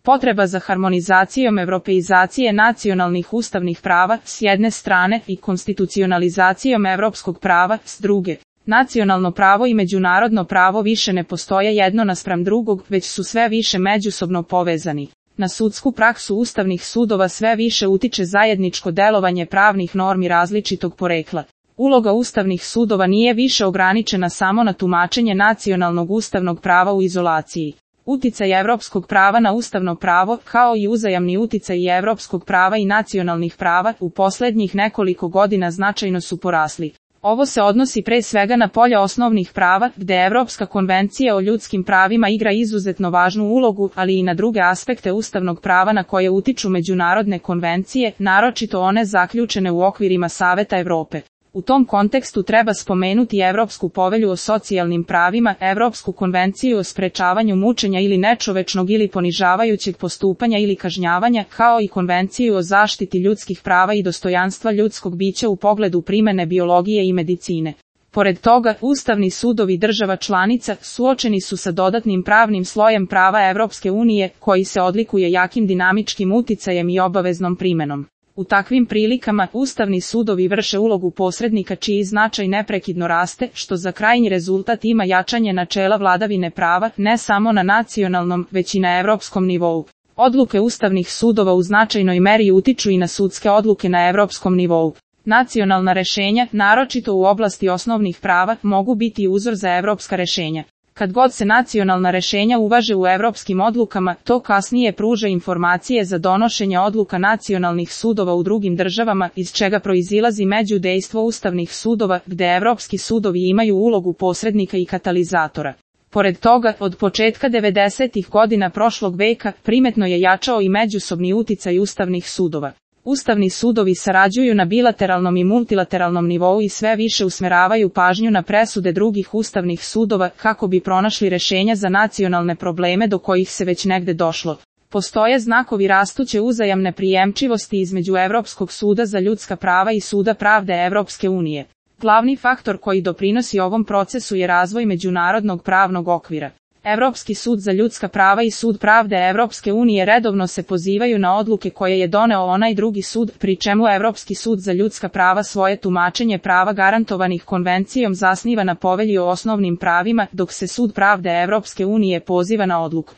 Potreba za harmonizacijom evropeizacije nacionalnih ustavnih prava s jedne strane i konstitucionalizacijom evropskog prava s druge. Nacionalno pravo i međunarodno pravo više ne postoje jedno naspram drugog, već su sve više međusobno povezani. Na sudsku praksu ustavnih sudova sve više utiče zajedničko delovanje pravnih normi različitog porekla. Uloga ustavnih sudova nije više ograničena samo na tumačenje nacionalnog ustavnog prava u izolaciji. Uticaj evropskog prava na ustavno pravo, kao i uzajamni uticaj evropskog prava i nacionalnih prava, u posljednjih nekoliko godina značajno su porasli. Ovo se odnosi pre svega na polja osnovnih prava, gde Evropska konvencija o ljudskim pravima igra izuzetno važnu ulogu, ali i na druge aspekte ustavnog prava na koje utiču međunarodne konvencije, naročito one zaključene u okvirima Saveta Evrope. U tom kontekstu treba spomenuti Evropsku povelju o socijalnim pravima, Evropsku konvenciju o sprečavanju mučenja ili nečovečnog ili ponižavajućeg postupanja ili kažnjavanja, kao i Konvenciju o zaštiti ljudskih prava i dostojanstva ljudskog bića u pogledu primene biologije i medicine. Pored toga, ustavni sudovi država članica suočeni su sa dodatnim pravnim slojem prava Evropske unije, koji se odlikuje jakim dinamičkim uticajem i obaveznom primenom. U takvim prilikama, ustavni sudovi vrše ulogu posrednika čiji značaj neprekidno raste, što za krajnji rezultat ima jačanje načela vladavine prava, ne samo na nacionalnom, već i na evropskom nivou. Odluke ustavnih sudova u značajnoj meri utiču i na sudske odluke na evropskom nivou. Nacionalna rešenja, naročito u oblasti osnovnih prava, mogu biti uzor za evropska rešenja. Kad god se nacionalna rešenja uvaže u evropskim odlukama, to kasnije pruža informacije za donošenje odluka nacionalnih sudova u drugim državama, iz čega proizilazi međudejstvo ustavnih sudova, gde evropski sudovi imaju ulogu posrednika i katalizatora. Pored toga, od početka 90-ih godina prošlog veka, primetno je jačao i međusobni uticaj ustavnih sudova. Ustavni sudovi sarađuju na bilateralnom i multilateralnom nivou i sve više usmeravaju pažnju na presude drugih ustavnih sudova kako bi pronašli rešenja za nacionalne probleme do kojih se već negde došlo. Postoje znakovi rastuće uzajamne prijemčivosti između Evropskog suda za ljudska prava i Suda pravde Evropske unije. Glavni faktor koji doprinosi ovom procesu je razvoj međunarodnog pravnog okvira. Evropski sud za ljudska prava i Sud pravde Evropske unije redovno se pozivaju na odluke koje je doneo onaj drugi sud, pri čemu Evropski sud za ljudska prava svoje tumačenje prava garantovanih konvencijom zasniva na Povelji o osnovnim pravima, dok se Sud pravde Evropske unije poziva na odluku